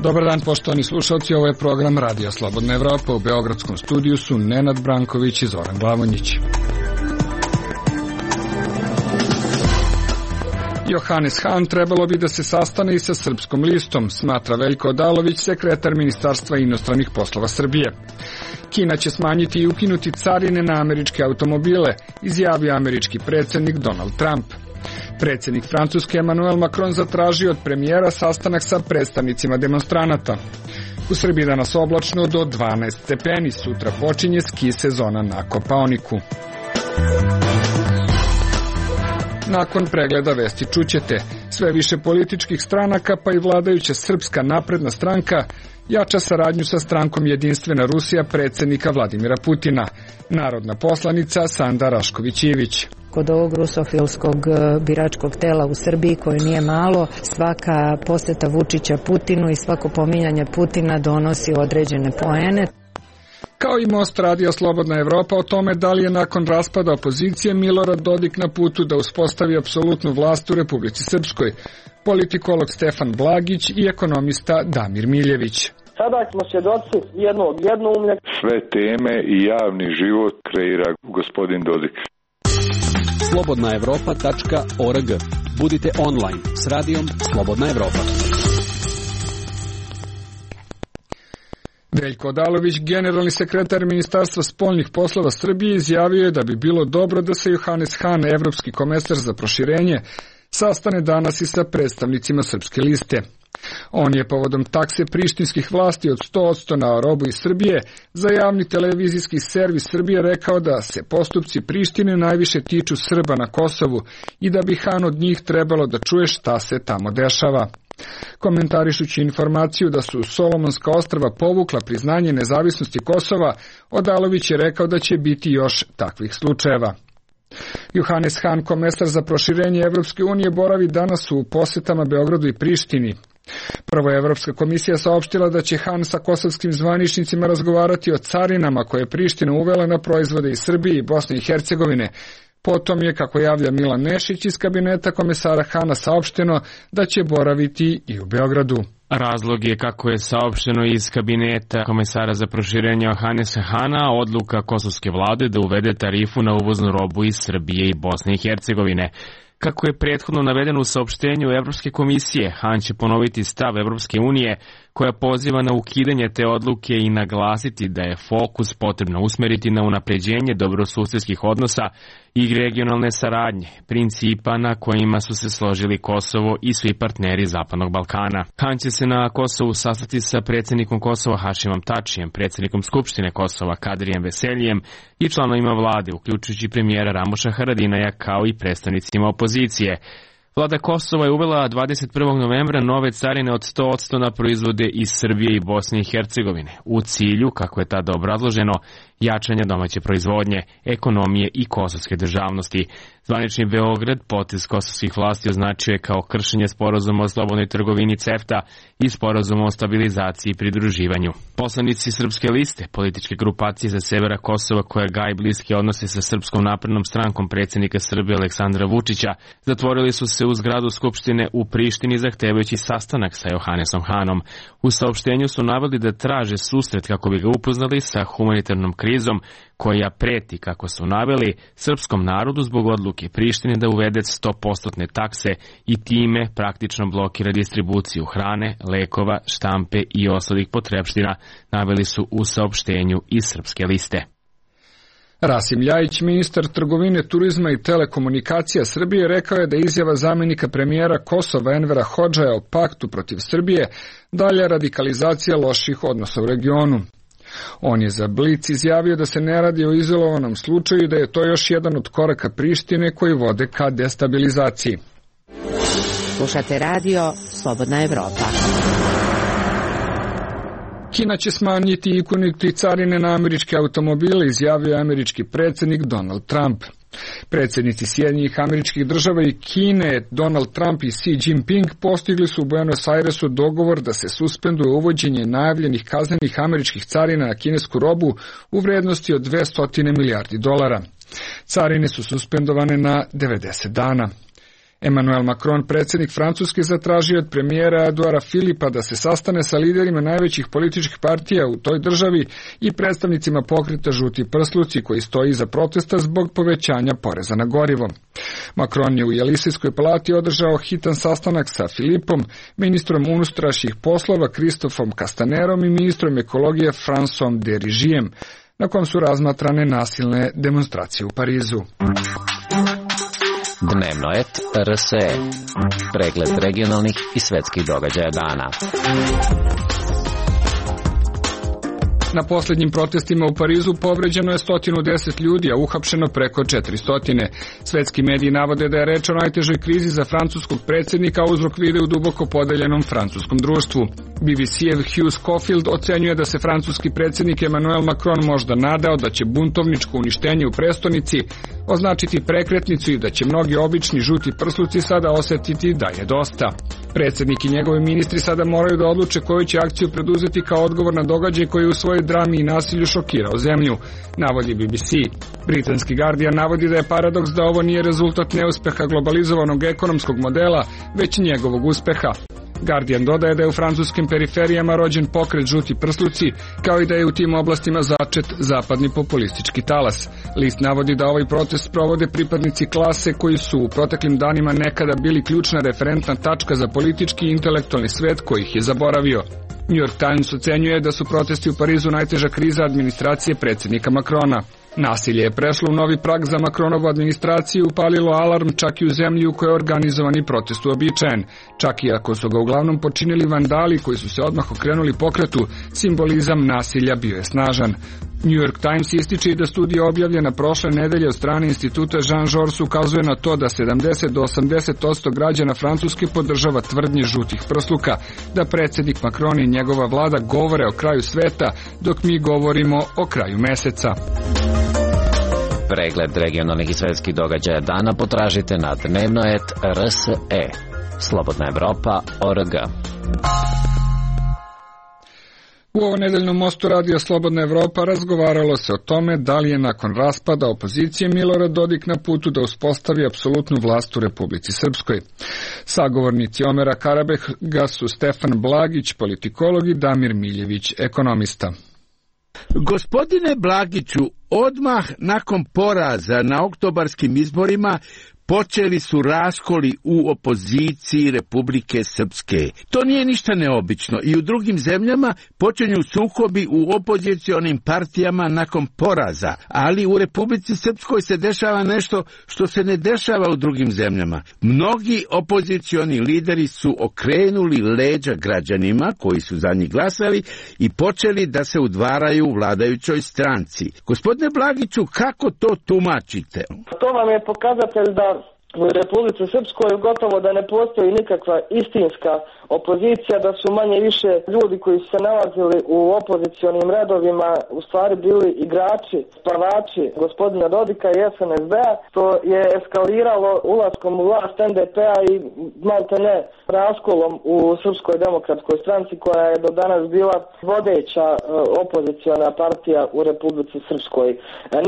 Dobar dan, poštovani slušalci, ovo je program Radija Slobodna Evropa. U beogradskom studiju su Nenad Branković i Zoran Glavonjić. Johannes Hahn trebalo bi da se sastane i sa Srpskom listom, smatra Veljko Odalović, sekretar Ministarstva inostranih poslova Srbije. Kina će smanjiti i ukinuti carine na američke automobile, izjavio američki predsjednik Donald Trump. Predsjednik Francuske Emmanuel Macron zatražio od premijera sastanak sa predstavnicima demonstranata. U Srbiji danas oblačno do 12 stepeni, sutra počinje ski sezona na Kopaoniku. Nakon pregleda vesti čućete, sve više političkih stranaka pa i vladajuća Srpska napredna stranka jača saradnju sa strankom Jedinstvena Rusija predsjednika Vladimira Putina. Narodna poslanica Sanda Rašković-Ivić. Kod ovog rusofilskog biračkog tela u Srbiji, koje nije malo, svaka posjeta Vučića Putinu i svako pominjanje Putina donosi određene poene. Kao i Most Radio Slobodna Evropa o tome da li je nakon raspada opozicije Milorad Dodik na putu da uspostavi apsolutnu vlast u Republici Srpskoj, politikolog Stefan Blagić i ekonomista Damir Miljević. Sada smo svjedoci jednog jednoumlja. Sve teme i javni život kreira gospodin Dodik. slobodnaevropa.org. Budite online s radijom Slobodna Evropa. Veljko Odalović, generalni sekretar Ministarstva spoljnih poslova Srbije, izjavio je da bi bilo dobro da se Johannes Hahn, evropski komesar za proširenje, sastane danas i sa predstavnicima Srpske liste. On je povodom takse prištinskih vlasti od 100% na robu iz Srbije za javni televizijski servis Srbije rekao da se postupci Prištine najviše tiču Srba na Kosovu i da bi Hahn od njih trebalo da čuje šta se tamo dešava. Komentarišući informaciju da su Solomonska ostrva povukla priznanje nezavisnosti Kosova, Odalović je rekao da će biti još takvih slučajeva. Johannes Hahn, komesar za proširenje Evropske unije, boravi danas u posjetama Beogradu i Prištini. Prvo je Evropska komisija saopštila da će Hahn sa kosovskim zvaničnicima razgovarati o carinama koje je Priština uvela na proizvode iz Srbije i Bosne i Hercegovine. Potom je, kako javlja Milan Nešić iz kabineta komesara Hahna, saopšteno da će boraviti i u Beogradu. Razlog je, kako je saopšteno iz kabineta komesara za proširenje Johannesa Hahna, odluka kosovske vlade da uvede tarifu na uvoznu robu iz Srbije i Bosne i Hercegovine. Kako je prethodno navedeno u saopštenju Evropske komisije, Hahn će ponoviti stav Evropske unije koja poziva na ukidanje te odluke i naglasiti da je fokus potrebno usmeriti na unapređenje dobrosusedskih odnosa i regionalne saradnje, principa na kojima su se složili Kosovo i svi partneri Zapadnog Balkana. Hahn će se na Kosovu sastati sa predsjednikom Kosova Hašimom Tačijem, predsjednikom Skupštine Kosova Kadrijem Veseljem i članovima vlade, uključujući premijera Ramuša Haradinaja, kao i predstavnicima opozicije. Vlada Kosova je uvela 21. novembra nove carine od 100% na proizvode iz Srbije i Bosne i Hercegovine, u cilju, kako je tada obrazloženo, jačanja domaće proizvodnje, ekonomije i kosovske državnosti. Zvanični Beograd potez kosovskih vlasti označio je kao kršenje sporazuma o slobodnoj trgovini CEFTA i sporazuma o stabilizaciji i pridruživanju. Poslanici Srpske liste, političke grupacije sa severa Kosova koja gaji bliske odnose sa Srpskom naprednom strankom predsjednika Srbije Aleksandra Vučića, zatvorili su se u zgradu Skupštine u Prištini zahtevajući sastanak sa Johannesom Hahnom. U saopštenju su naveli da traže susret kako bi ga upoznali sa humanitarnom krizom koja preti, kako su naveli, srpskom narodu zbog odluke Prištine da uvede 100% takse i time praktično blokira distribuciju hrane, lekova, štampe i ostalih potrepština, naveli su u saopštenju iz Srpske liste. Rasim Ljajić, ministar trgovine, turizma i telekomunikacija Srbije, rekao je da izjava zamjenika premijera Kosova Envera Hodžaja o paktu protiv Srbije dalja radikalizacija loših odnosa u regionu. On je za Blic izjavio da se ne radi o izolovanom slučaju i da je to još jedan od koraka Prištine koji vode ka destabilizaciji. Slušate radio Slobodna Evropa. Kina će smanjiti i ukinuti carine na američke automobile, izjavio je američki predsjednik Donald Trump. Predsjednici Sjedinjenih Američkih Država i Kine, Donald Trump i Xi Jinping, postigli su u Buenos Airesu dogovor da se suspenduje uvođenje najavljenih kaznenih američkih carina na kinesku robu u vrednosti od $200 milijardi. Carine su suspendovane na 90 dana. Emmanuel Macron, predsjednik Francuske, zatražio od premijera Eduara Filipa da se sastane sa liderima najvećih političkih partija u toj državi i predstavnicima pokreta Žuti prsluci koji stoji iza protesta zbog povećanja poreza na gorivo. Macron je u Jelisejskoj palati održao hitan sastanak sa Filipom, ministrom unutrašnjih poslova Kristofom Castanerom i ministrom ekologije François de Rigijem, na kom su razmatrane nasilne demonstracije u Parizu. Dnevno et RSE. Pregled regionalnih i svetskih događaja dana. Na posljednjim protestima u Parizu povređeno je 110 ljudi, a uhapšeno preko 400. Svetski mediji navode da je reč o najtežoj krizi za francuskog predsjednika, a uzrok vide u duboko podeljenom francuskom društvu. BBC-ev Hugh Schofield ocenjuje da se francuski predsjednik Emmanuel Macron možda nadao da će buntovničko uništenje u prestonici označiti prekretnicu i da će mnogi obični žuti prsluci sada osjetiti da je dosta. Predsjednik i njegovi ministri sada moraju da odluče koju će akciju preduzeti kao odgovor na događaj koji u svojoj drami i nasilju šokirao zemlju, navodi BBC. Britanski Guardian navodi da je paradoks da ovo nije rezultat neuspeha globalizovanog ekonomskog modela, već njegovog uspeha. Guardian dodaje da je u francuskim periferijama rođen pokret Žuti prsluci, kao i da je u tim oblastima začet zapadni populistički talas. List navodi da ovaj protest provode pripadnici klase koji su u proteklim danima nekada bili ključna referentna tačka za politički i intelektualni svet koji ih je zaboravio. New York Times ocenjuje da su protesti u Parizu najteža kriza administracije predsjednika Macrona. Nasilje je prešlo u novi prag za Macronovu administraciju i upalilo alarm čak i u zemlji u kojoj je organizovani protest uobičajen. Čak i ako su ga uglavnom počinili vandali koji su se odmah okrenuli pokretu, simbolizam nasilja bio je snažan. New York Times ističe i da studija objavljena prošle nedelje od strane instituta Jean Jaurès ukazuje na to da 70 do 80% građana Francuske podržava tvrdnje žutih prsluka, da predsjednik Macron i njegova vlada govore o kraju sveta, dok mi govorimo o kraju meseca. Pregled regionalnih i svetskih događaja dana potražite na dnevnoet.rse. Slobodna Evropa.org. U ovo nedeljnom mostu radija Slobodna Evropa razgovaralo se o tome da li je nakon raspada opozicije Milorad Dodik na putu da uspostavi apsolutnu vlast u Republici Srpskoj. Sagovornici Omera Karabekha su Stefan Blagić, politikolog, i Damir Miljević, ekonomista. Gospodine Blagiću, odmah nakon poraza na oktobarskim izborima počeli su raskoli u opoziciji Republike Srpske. To nije ništa neobično i u drugim zemljama počinju sukobi u opozicionim partijama nakon poraza, ali u Republici Srpskoj se dešava nešto što se ne dešava u drugim zemljama. Mnogi opozicioni lideri su okrenuli leđa građanima koji su za njih glasali i počeli da se udvaraju u vladajućoj stranci. Gospodine Blagiću, kako to tumačite? To vam je pokazatelj da u Republici Srpskoj gotovo da ne postoji nikakva istinska opozicija, da su manje više ljudi koji su se nalazili u opozicionim redovima u stvari bili igrači, spavači gospodina Dodika i SNSD-a, što je eskaliralo ulaskom u vlast NDP-a i maltene raskolom u Srpskoj demokratskoj stranci koja je do danas bila vodeća opoziciona partija u Republici Srpskoj.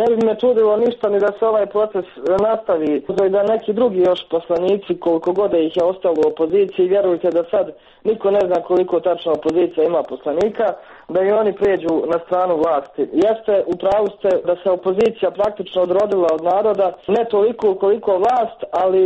Ne bi me čudilo ništa ni da se ovaj proces nastavi, da neki drugi još poslanici, koliko god ih je ostalo u opoziciji, vjerujte da sad niko ne zna koliko tačno opozicija ima poslanika, da i oni pređu na stranu vlasti. Jeste, u pravu ste da se opozicija praktično odrodila od naroda, ne toliko koliko vlast, ali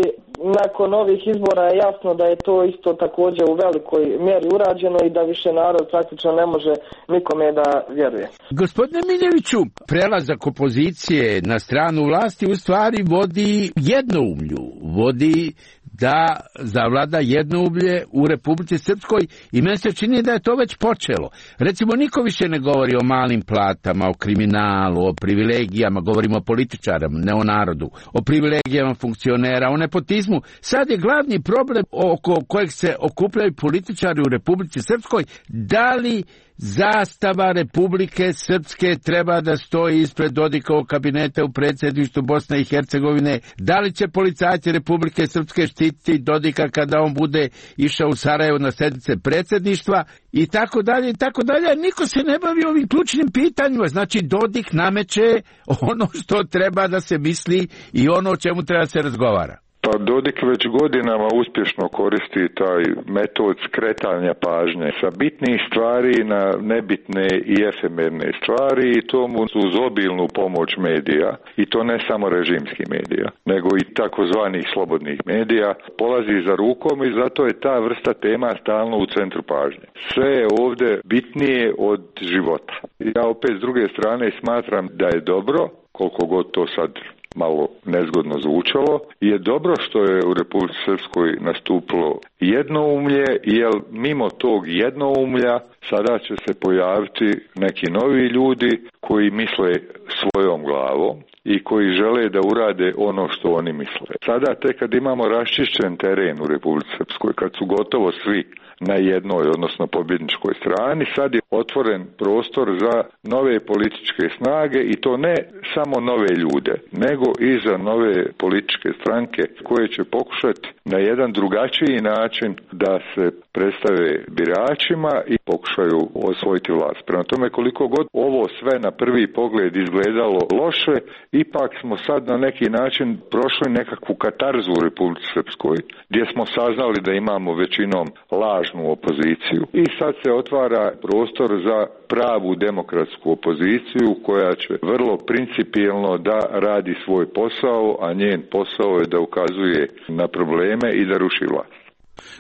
nakon ovih izbora je jasno da je to isto također u velikoj mjeri urađeno i da više narod praktično ne može nikome da vjeruje. Gospodine Miljeviću, prelazak opozicije na stranu vlasti u stvari vodi jednoumlju, vodi da zavlada jednoumlje u Republici Srpskoj i meni se čini da je to već počelo. Recimo, niko više ne govori o malim platama, o kriminalu, o privilegijama, govorimo o političarima, ne o narodu, o privilegijama funkcionera, o nepotizmu. Sad je glavni problem oko kojeg se okupljaju političari u Republici Srpskoj, da li zastava Republike Srpske treba da stoji ispred Dodikovog kabineta u predsjedništvu Bosne i Hercegovine, da li će policajci Republike Srpske štititi Dodika kada on bude išao u Sarajevo na sjednice predsjedništva i tako dalje i tako dalje. Niko se ne bavi ovim ključnim pitanjima. Znači, Dodik nameće ono što treba da se misli i ono o čemu treba da se razgovara. Pa Dodik već godinama uspješno koristi taj metod skretanja pažnje sa bitnih stvari na nebitne i efemerne stvari i to mu uz obilnu pomoć medija, i to ne samo režimskih medija, nego i takozvanih slobodnih medija, polazi za rukom i zato je ta vrsta tema stalno u centru pažnje. Sve je ovdje bitnije od života. Ja opet s druge strane smatram da je dobro, koliko god to sad malo nezgodno zvučalo, je dobro što je u Republici Srpskoj nastupilo jednoumlje, jer mimo tog jednoumlja sada će se pojaviti neki novi ljudi koji misle svojom glavom i koji žele da urade ono što oni misle. Sada tek kad imamo raščišćen teren u Republici Srpskoj, kad su gotovo svi na jednoj, odnosno pobjedničkoj strani, sad je otvoren prostor za nove političke snage i to ne samo nove ljude, nego i za nove političke stranke koje će pokušati na jedan drugačiji način da se predstave biračima i pokušaju osvojiti vlast. Prema tome, koliko god ovo sve na prvi pogled izgledalo loše, ipak smo sad na neki način prošli nekakvu katarzu u Republici Srpskoj, gdje smo saznali da imamo većinom lažnu opoziciju i sad se otvara prostor za pravu demokratsku opoziciju koja će vrlo principijelno da radi svoj posao, a njen posao je da ukazuje na probleme i da ruši vlast.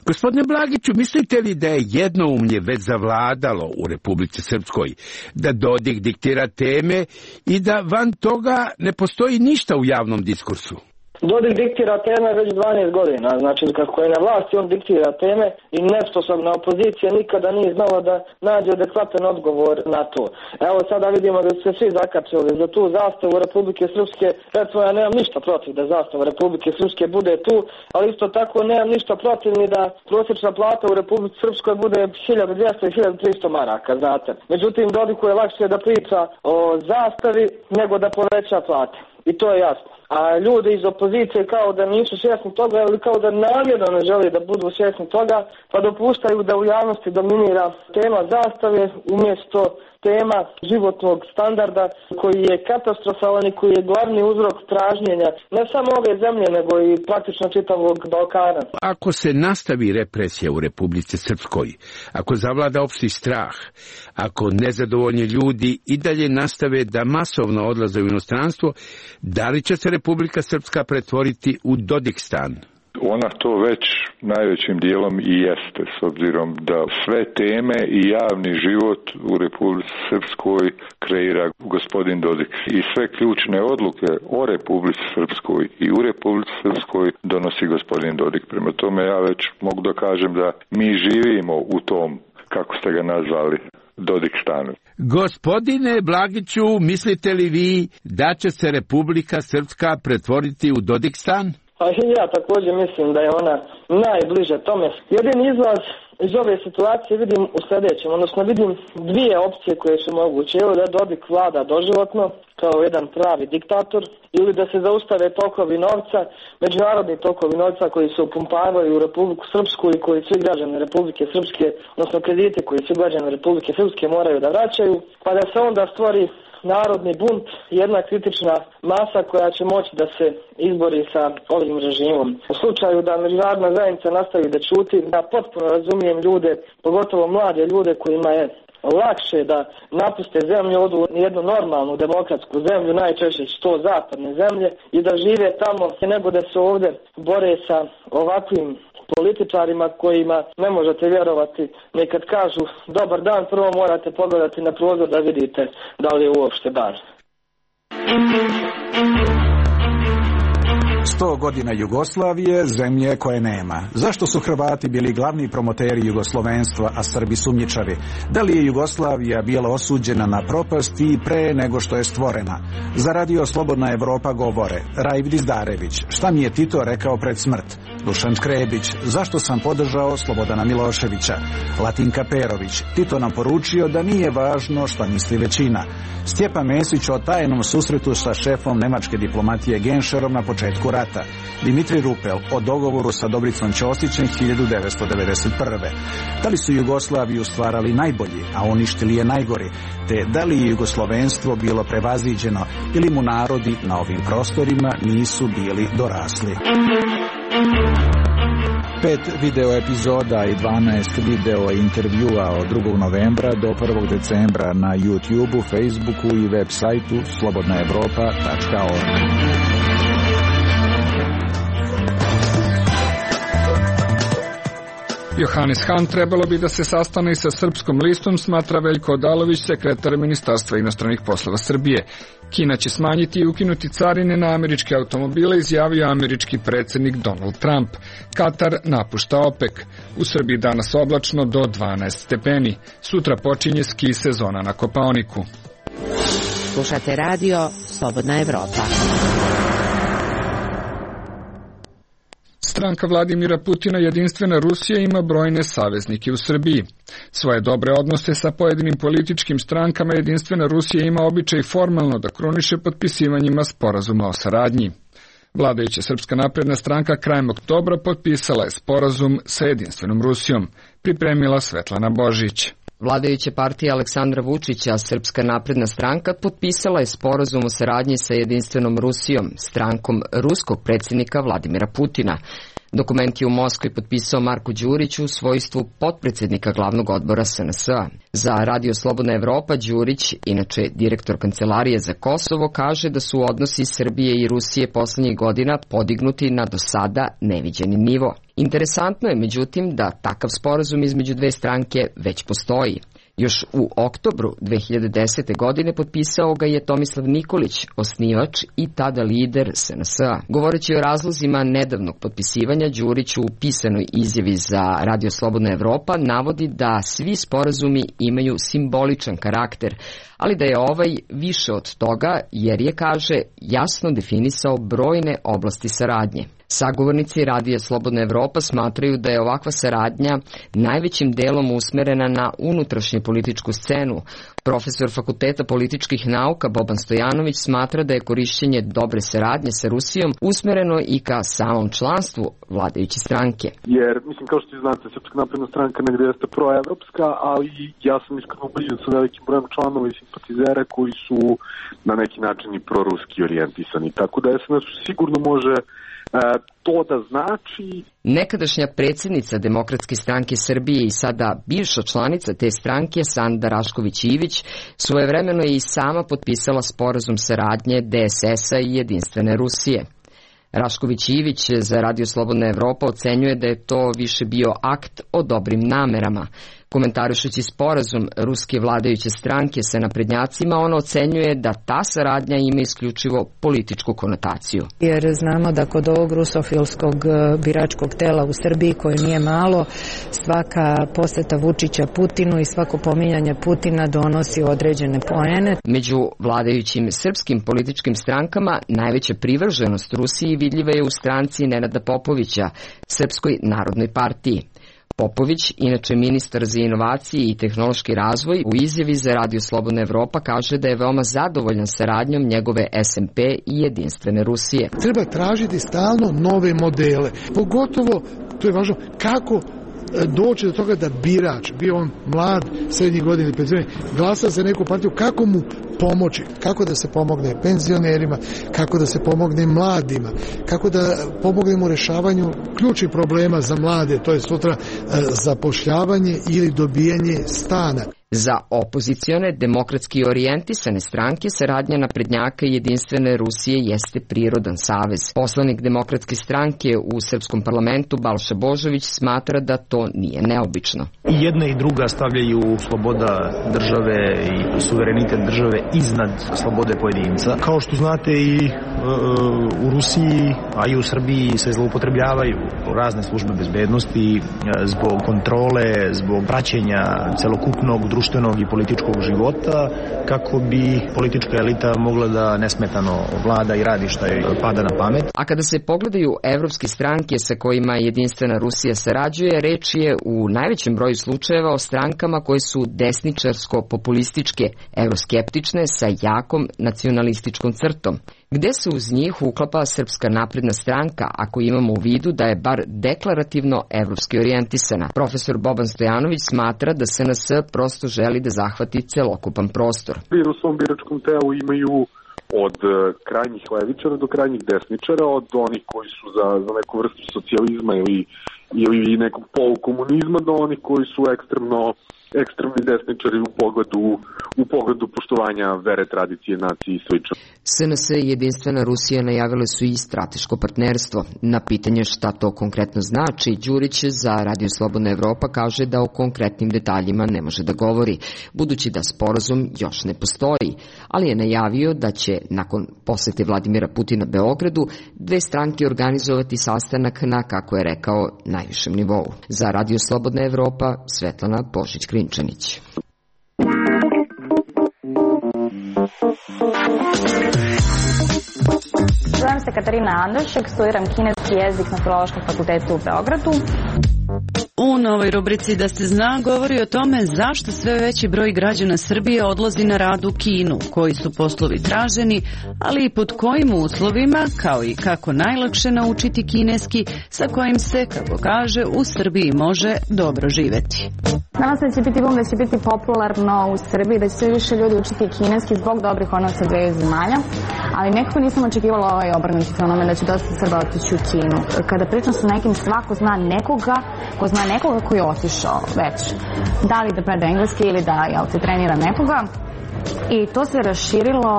Gospodine Blagiću, mislite li da je jednoumlje već zavladalo u Republici Srpskoj, da Dodik diktira teme i da van toga ne postoji ništa u javnom diskursu? Dodik diktira teme već 12 godina, znači kako je na vlasti on diktira teme i nesposobna opozicija nikada nije znala da nađe adekvatan odgovor na to. Evo sada vidimo da su se svi zakačili za tu zastavu Republike Srpske, recimo ja nemam ništa protiv da zastava Republike Srpske bude tu, ali isto tako nemam ništa protiv ni da prosječna plata u Republici Srpskoj bude 1200 i 1300 maraka, znate. Međutim, Dodiku je lakše da priča o zastavi nego da poveća plate. I to je jasno. A ljudi iz opozicije kao da nisu svjesni toga ili kao da namjerno ne žele da budu svjesni toga, pa dopuštaju da u javnosti dominira tema zastave umjesto tema životnog standarda koji je katastrofalan i koji je glavni uzrok pražnjenja ne samo ove zemlje nego i praktično čitavog Balkana. Ako se nastavi represija u Republici Srpskoj, ako zavlada opšti strah, ako nezadovoljni ljudi i dalje nastave da masovno odlaze u inostranstvo, da li će se Republika Srpska pretvoriti u Dodikstan? Ona to već najvećim dijelom i jeste, s obzirom da sve teme i javni život u Republici Srpskoj kreira gospodin Dodik. I sve ključne odluke o Republici Srpskoj i u Republici Srpskoj donosi gospodin Dodik. Prema tome ja već mogu da kažem da mi živimo u tom, kako ste ga nazvali, Dodikstanu. Gospodine Blagiću, mislite li vi da će se Republika Srpska pretvoriti u Dodikstan? Pa ja također mislim da je ona najbliže tome. Jedini izlaz iz ove situacije vidim u sljedećem, odnosno vidim dvije opcije koje su moguće. Ili da Dodik vlada doživotno kao jedan pravi diktator, ili da se zaustave tokovi novca, međunarodni tokovi novca koji se upumpavaju u Republiku Srpsku i koji svi građani Republike Srpske, odnosno kredite koji svi građani Republike Srpske moraju da vraćaju, pa da se onda stvori narodni bunt, jedna kritična masa koja će moći da se izbori sa ovim režimom. U slučaju da međunarodna zajednica nastavi da ćuti, ja potpuno razumijem ljude, pogotovo mlade ljude kojima je lakše da napuste zemlju, odu u jednu normalnu demokratsku zemlju, najčešće su to zapadne zemlje, i da žive tamo nego da se ovdje bore sa ovakvim političarima kojima ne možete vjerovati. Nekad kažu dobar dan, prvo morate pogledati na prozor da vidite da li je uopšte dan. 100 godina Jugoslavije, zemlje koje nema. Zašto su Hrvati bili glavni promoteri jugoslovenstva, a Srbi sumnjičavi? Da li je Jugoslavija bila osuđena na propast i pre nego što je stvorena? Za radio Slobodna Evropa govore Raif Dizdarević, šta mi je Tito rekao pred smrt? Dušan Škrebić, zašto sam podržao Slobodana Miloševića? Latinka Perović, Tito nam poručio da nije važno šta misli većina. Stjepan Mesić o tajnom susretu sa šefom nemačke diplomatije Genšerom na početku rata. rata. Dimitri Rupel o dogovoru sa Dobricom Ćosićem 1991. Da li su Jugoslaviju stvarali najbolji, a uništili je najgori, te da li je jugoslovenstvo bilo prevaziđeno ili mu narodi na ovim prostorima nisu bili dorasli. 5 video epizoda i 12 video intervjua od 2. novembra do 1. decembra na YouTubeu, Facebooku i web sajtu slobodnaevropa.org. Johannes Hahn trebalo bi da se sastane sa Srpskom listom, smatra Veljko Odalović, sekretar Ministarstva inostranih poslova Srbije. Kina će smanjiti i ukinuti carine na američke automobile, izjavio američki predsjednik Donald Trump. Katar napušta OPEC. U Srbiji danas oblačno do 12 stepeni. Sutra počinje ski sezona na Kopaoniku. Slušate radio Slobodna Evropa. Stranka Vladimira Putina Jedinstvena Rusija ima brojne saveznike u Srbiji. Svoje dobre odnose sa pojedinim političkim strankama Jedinstvena Rusija ima običaj formalno da kruniše potpisivanjima sporazuma o saradnji. Vladajuća Srpska napredna stranka krajem oktobra potpisala je sporazum sa Jedinstvenom Rusijom, pripremila Svetlana Božić. Vladajuća partija Aleksandra Vučića, Srpska napredna stranka, potpisala je sporazum o saradnji sa Jedinstvenom Rusijom, strankom ruskog predsjednika Vladimira Putina. Dokument je u Moskvi potpisao Marko Đurić u svojstvu potpredsjednika glavnog odbora SNS-a. Za Radio Slobodna Evropa Đurić, inače direktor Kancelarije za Kosovo, kaže da su odnosi Srbije i Rusije poslednjih godina podignuti na do sada neviđeni nivo. Interesantno je, međutim, da takav sporazum između dve stranke već postoji. Još u oktobru 2010. godine potpisao ga je Tomislav Nikolić, osnivač i tada lider SNS-a. Govoreći o razlozima nedavnog potpisivanja, Đurić u pisanoj izjavi za Radio Slobodna Evropa navodi da svi sporazumi imaju simboličan karakter, ali da je ovaj više od toga jer je, kaže, jasno definisao brojne oblasti saradnje. Sagovornici Radija Slobodna Evropa smatraju da je ovakva saradnja najvećim delom usmerena na unutrašnju političku scenu. Profesor Fakulteta političkih nauka Boban Stojanović smatra da je korišćenje dobre saradnje sa Rusijom usmereno i ka samom članstvu vladajuće stranke. Jer, mislim, kao što znate, Srpska napredna stranka negde jeste proevropska, ali ja sam iskreno ubeđen sa velikim brojem članova i simpatizera koji su na neki način i proruski orijentisani. Tako da SNS sigurno može to da znači. Nekadašnja predsjednica Demokratske stranke Srbije i sada bivša članica te stranke Sanda Rašković-Ivić svojevremeno je i sama potpisala sporazum saradnje DSS-a i Jedinstvene Rusije. Rašković-Ivić za Radio Slobodna Evropa ocenjuje da je to više bio akt o dobrim namerama. Komentarišući sporazum ruske vladajuće stranke sa naprednjacima, ona ocenjuje da ta saradnja ima isključivo političku konotaciju. Jer znamo da kod ovog rusofilskog biračkog tela u Srbiji, koje nije malo, svaka poseta Vučića Putinu i svako pominjanje Putina donosi određene poene. Među vladajućim srpskim političkim strankama najveća privrženost Rusiji vidljiva je u stranci Nenada Popovića, Srpskoj narodnoj partiji. Popović, inače ministar za inovacije i tehnološki razvoj, u izjavi za Radio Slobodna Evropa kaže da je veoma zadovoljan saradnjom njegove SMP i Jedinstvene Rusije. Treba tražiti stalno nove modele, pogotovo, to je važno, kako doći do toga da birač, bio on mlad, srednjih godina, glasa za neku partiju, kako mu pomoći, kako da se pomogne penzionerima, kako da se pomogne mladima, kako da pomognemo u rešavanju ključnih problema za mlade, to je sutra zapošljavanje ili dobijanje stana. Za opozicione, demokratski orijentisane stranke saradnja naprednjaka i Jedinstvene Rusije jeste prirodan savez. Poslanik Demokratske stranke u Srpskom parlamentu Balša Božović smatra da to nije neobično. I jedna i druga stavljaju sloboda države i suverenitet države iznad slobode pojedinca. Kao što znate i u Rusiji, a i u Srbiji se zloupotrebljavaju razne službe bezbednosti zbog kontrole, zbog praćenja celokupnog društvenog i političkog života, kako bi politička elita mogla da nesmetano vlada i radi šta joj pada na pamet. A kada se pogledaju evropske stranke sa kojima Jedinstvena Rusija sarađuje, reč je u najvećem broju slučajeva o strankama koje su desničarsko-populističke, euroskeptične sa jakom nacionalističkom crtom. gde se uz njih uklapa Srpska napredna stranka, ako imamo u vidu da je bar deklarativno evropski orijentisana. Profesor Boban Stojanović smatra da SNS prosto želi da zahvati celokupan prostor. U svom biračkom telu imaju od krajnjih levičara do krajnjih desničara, od onih koji su za neku vrstu socijalizma ili nekog polukomunizma do onih koji su ekstremni desničari u pogledu poštovanja vere, tradicije, nacije i slično. SNS i Jedinstvena Rusija najavile su i strateško partnerstvo. Na pitanje šta to konkretno znači, Đurić za Radio Slobodna Evropa kaže da o konkretnim detaljima ne može da govori, budući da sporazum još ne postoji, ali je najavio da će, nakon posete Vladimira Putina Beogradu, dve stranke organizovati sastanak na, kako je rekao, najvišem nivou. Za Radio Slobodna Evropa, Svetlana Božić-Krinčanić. Zovem se Katarina Andošek, studiram kineski jezik na Filološkom fakultetu u Beogradu. U novoj rubrici Da se zna govori o tome zašto sve veći broj građana Srbije odlazi na rad u Kinu, koji su poslovi traženi, ali i pod kojim uslovima, kao i kako najlakše naučiti kineski, sa kojim se, kako kaže, u Srbiji može dobro živeti. Nadam se da će biti da će biti popularno u Srbiji, da će sve više ljudi učiti kineski zbog dobrih odnosa dveju zemalja, ali nekako nisam očekivala ovaj obrnuti fenomen da će dosta Srba otići u Kinu. Kada pričam sa nekim, svako zna nekoga ko zna nekoga koji je otišao već. Da li da predaje engleski ili da trenira nekoga. I to se raširilo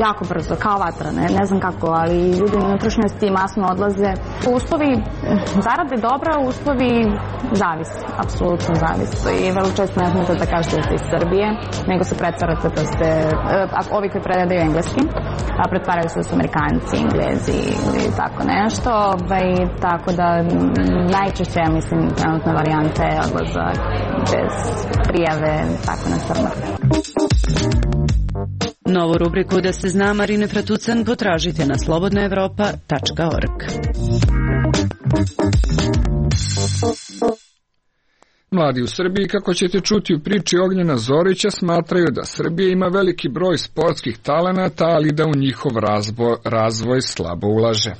jako brzo, kao vatra, ne znam kako, ali ljudi na unutrašnjosti masno odlaze. Uslovi zarade dobra, uslovi zavise, apsolutno zavise. I vrlo često ne znate da kažete da ste iz Srbije, nego se pretvarate da ste, ovi koji predaju engleski, pretvaraju se da su Amerikanci, Englezi ili tako nešto. Tako da najčešće, ja mislim, trenutna varijanta je odlazak bez prijave, tako na crno. Novu rubriku Da se zna Marine Fratucan potražite na slobodnaevropa.org. Mladi u Srbiji, kako ćete čuti u priči Ognjena Zorića, smatraju da Srbija ima veliki broj sportskih talenata, ali da u njihov razvoj slabo ulaže.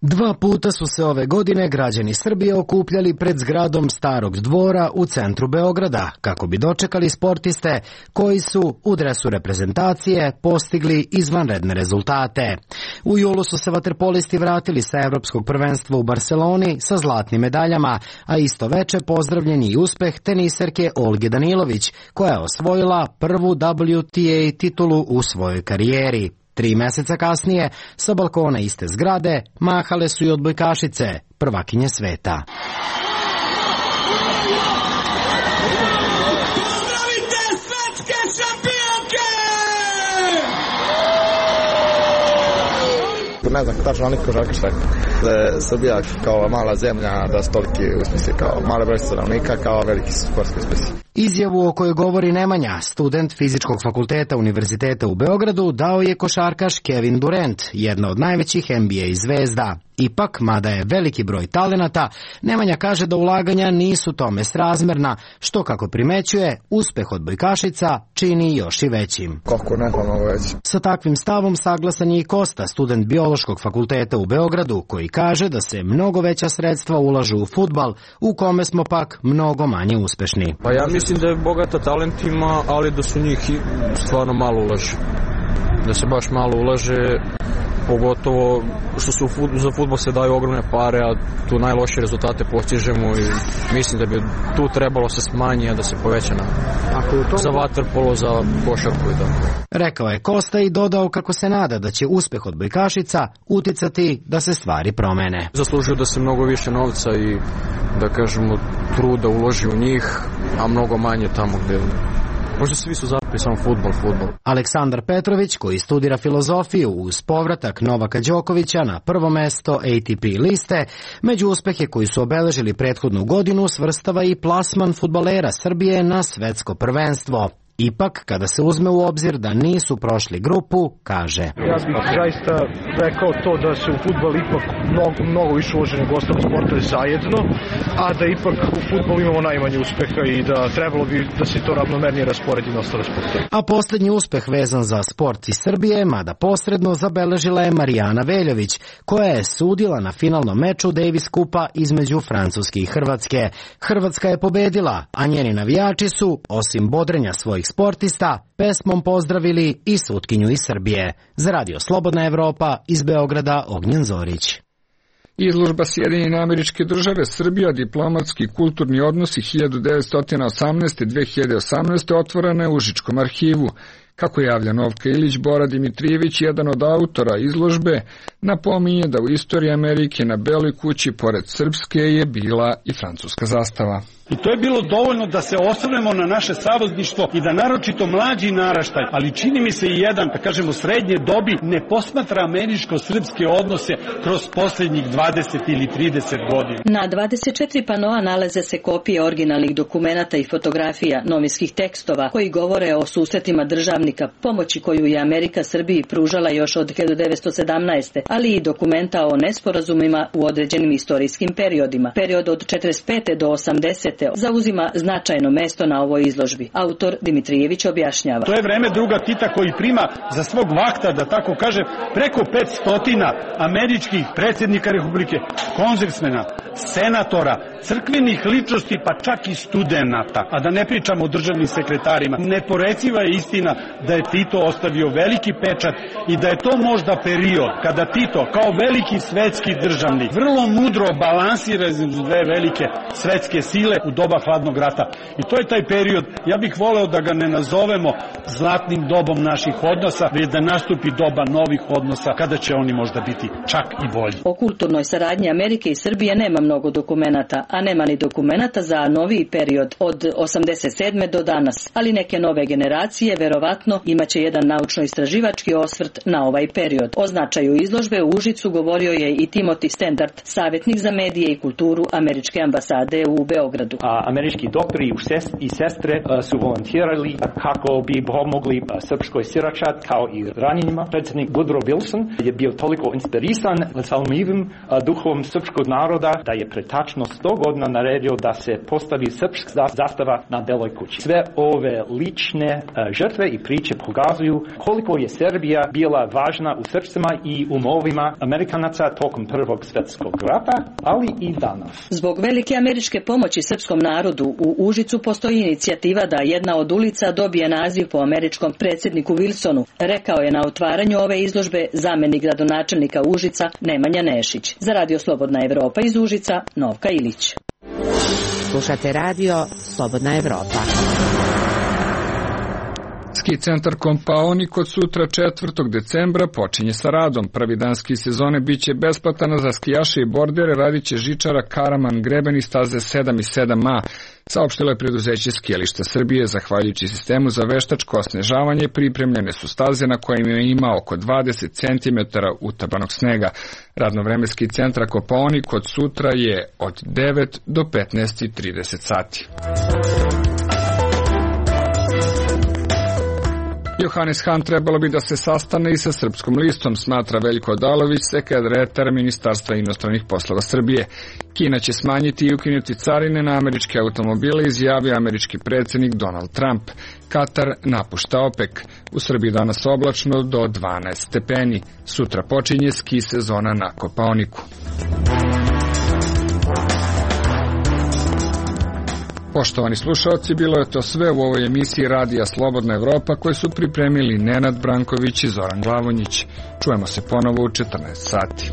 2 puta su se ove godine građani Srbije okupljali pred zgradom Starog dvora u centru Beograda, kako bi dočekali sportiste koji su u dresu reprezentacije postigli izvanredne rezultate. U julu su se vaterpolisti vratili sa evropskog prvenstva u Barseloni sa zlatnim medaljama, a isto veče pozdravljen i uspeh teniserke Olge Danilović, koja je osvojila prvu WTA titulu u svojoj karijeri. 3 meseca kasnije, sa balkona iste zgrade, mahale su i odbojkašice, prvakinje sveta. Pozdravite svetske šampionke! Ne znam tačno ali kožač rekao da je Srbija kao mala zemlja, da su toliki uspjesi kao mala broj stanovnika, kao veliki sportski uspjesi. Izjavu o kojoj govori Nemanja, student Fizičkog fakulteta Univerziteta u Beogradu, dao je košarkaš Kevin Durant, jedna od najvećih NBA zvezda. Ipak, mada je veliki broj talenata, Nemanja kaže da ulaganja nisu tome srazmerna, što, kako primećuje, uspeh odbojkašica čini još i većim. Kako ne pomogu veći. Sa takvim stavom saglasan je i Kosta, student Biološkog fakulteta u Beogradu, koji kaže da se mnogo veća sredstva ulažu u fudbal, u kome smo pak mnogo manje uspešni. Pa ja mislim da je bogata talentima, ali da su njih stvarno malo ulaže. Da se baš malo ulaže, pogotovo što za fudbal se daju ogromne pare, a tu najlošije rezultate postižemo i mislim da bi tu trebalo se smanji, a da se poveća za vaterpolo, za košarku i tako. Rekao je Kosta i dodao kako se nada da će uspeh odbojkašica uticati da se stvari promene. Zaslužuju da se mnogo više novca i, da kažemo, truda uloži u njih, a mnogo manje tamo gde možda svi su zapali samo fudbal. Aleksandar Petrović, koji studira filozofiju uz povratak Novaka Đokovića na prvo mesto ATP liste, među uspehe koji su obeležili prethodnu godinu svrstava i plasman fudbalera Srbije na svetsko prvenstvo. Ipak, kada se uzme u obzir da nisu prošli grupu, kaže: Ja bih zaista rekao to da se u fudbal ipak mnogo više uloženo u ostale sportove zajedno, a da ipak u fudbalu imamo najmanje uspeha i da trebalo bi da se to ravnomernije rasporedi na ostale sportove. A posljednji uspeh vezan za sport iz Srbije, mada posredno, zabeležila je Marijana Veljović, koja je sudila na finalnom meču Davis Kupa između Francuske i Hrvatske. Hrvatska je pobedila, a njeni navijači su, osim bodrenja svojih sportista, pesmom pozdravili i sutkinju iz Srbije. Za Radio Slobodna Evropa, iz Beograda, Ognjen Zorić. Izložba Sjedinjene Američke Države Srbija, diplomatski i kulturni odnosi 1918-2018 otvorena je u Užičkom arhivu. Kako javlja Novka Ilić, Bora Dimitrijević, jedan od autora izložbe, napominje da u istoriji Amerike na Beloj kući pored srpske je bila i francuska zastava. I to je bilo dovoljno da se osvrnemo na naše savezništvo i da naročito mlađi naraštaj, ali čini mi se i jedan, da kažemo srednje dobi, ne posmatra američko-srpske odnose kroz posljednjih 20 ili 30 godina. Na 24 panoa nalaze se kopije originalnih dokumenata i fotografija, novinskih tekstova koji govore o susretima državnika, pomoći koju je Amerika Srbiji pružala još od 1917. ali i dokumenta o nesporazumima u određenim istorijskim periodima. Period od 45. do 80. zauzima značajno mesto na ovoj izložbi. Autor Dimitrijević objašnjava. To je vreme druga Tita koji prima za svog vakta, da tako kaže, preko 500 američkih predsjednika Republike, kongresmena, senatora, crkvenih ličnosti, pa čak i studenata. A da ne pričamo o državnim sekretarima. Neporeciva je istina da je Tito ostavio veliki pečat i da je to možda period kada Tito, kao veliki svetski državnik, vrlo mudro balansira između dve velike svetske sile u doba hladnog rata. I to je taj period, ja bih voleo da ga ne nazovemo zlatnim dobom naših odnosa, već da nastupi doba novih odnosa, kada će oni možda biti čak i bolji. O kulturnoj saradnji Amerike i Srbije nema mnogo dokumenata, a nema ni dokumenata za noviji period od 87. do danas. Ali neke nove generacije verovatno imaće jedan naučno-istraživački osvrt na ovaj period. O značaju izložbe u Užicu govorio je i Timothy Standard, savjetnik za medije i kulturu američke ambasade u Beogradu. Američki doktori i sestre su volontirali kako bi pomogli srpskoj siračat kao i ranjenima. Predsjednik Woodrow Wilson je bio toliko inspirisan salmivim duhom srpskog naroda da je pre tačno 100 godina naredio da se postavi srpska zastava na Beloj kući. Sve ove lične žrtve i priče pokazuju koliko je Srbija bila važna u srcima i umovima Amerikanaca tokom Prvog svjetskog rata, ali i danas. Zbog velike američke pomoći srpskom narodu u Užicu postoji inicijativa da jedna od ulica dobije naziv po američkom predsjedniku Wilsonu, rekao je na otvaranju ove izložbe zamjenik gradonačelnika Užica Nemanja Nešić. Za Radio Slobodna Evropa iz Užica, Novka Ilić. Slušate Radio Slobodna Evropa. Ski centar Kopaonik od sutra 4. decembra počinje sa radom. Prvi dan ski sezone biće besplatan za skijaše i bordere, radit će žičara, karaman, greben i staze 7 i 7A. Saopštilo je preduzeće Skijališta Srbije. Zahvaljujući sistemu za veštačko osnežavanje pripremljene su staze na kojima ima oko 20 cm utabanog snega. Radno vreme ski centra Kopaonik od sutra je od 9 do 15:30 sati. Johannes Hahn trebalo bi da se sastane i sa Srpskom listom, smatra Veljko Odalović, sekretar Ministarstva inostranih poslova Srbije. Kina će smanjiti i ukinuti carine na američke automobile, izjavio američki predsjednik Donald Trump. Katar napušta OPEC. U Srbiji danas oblačno do 12 stepeni. Sutra počinje ski sezona na Kopaoniku. Poštovani slušalci, bilo je to sve u ovoj emisiji Radija Slobodna Evropa koje su pripremili Nenad Branković i Zoran Glavonjić. Čujemo se ponovo u 14 sati.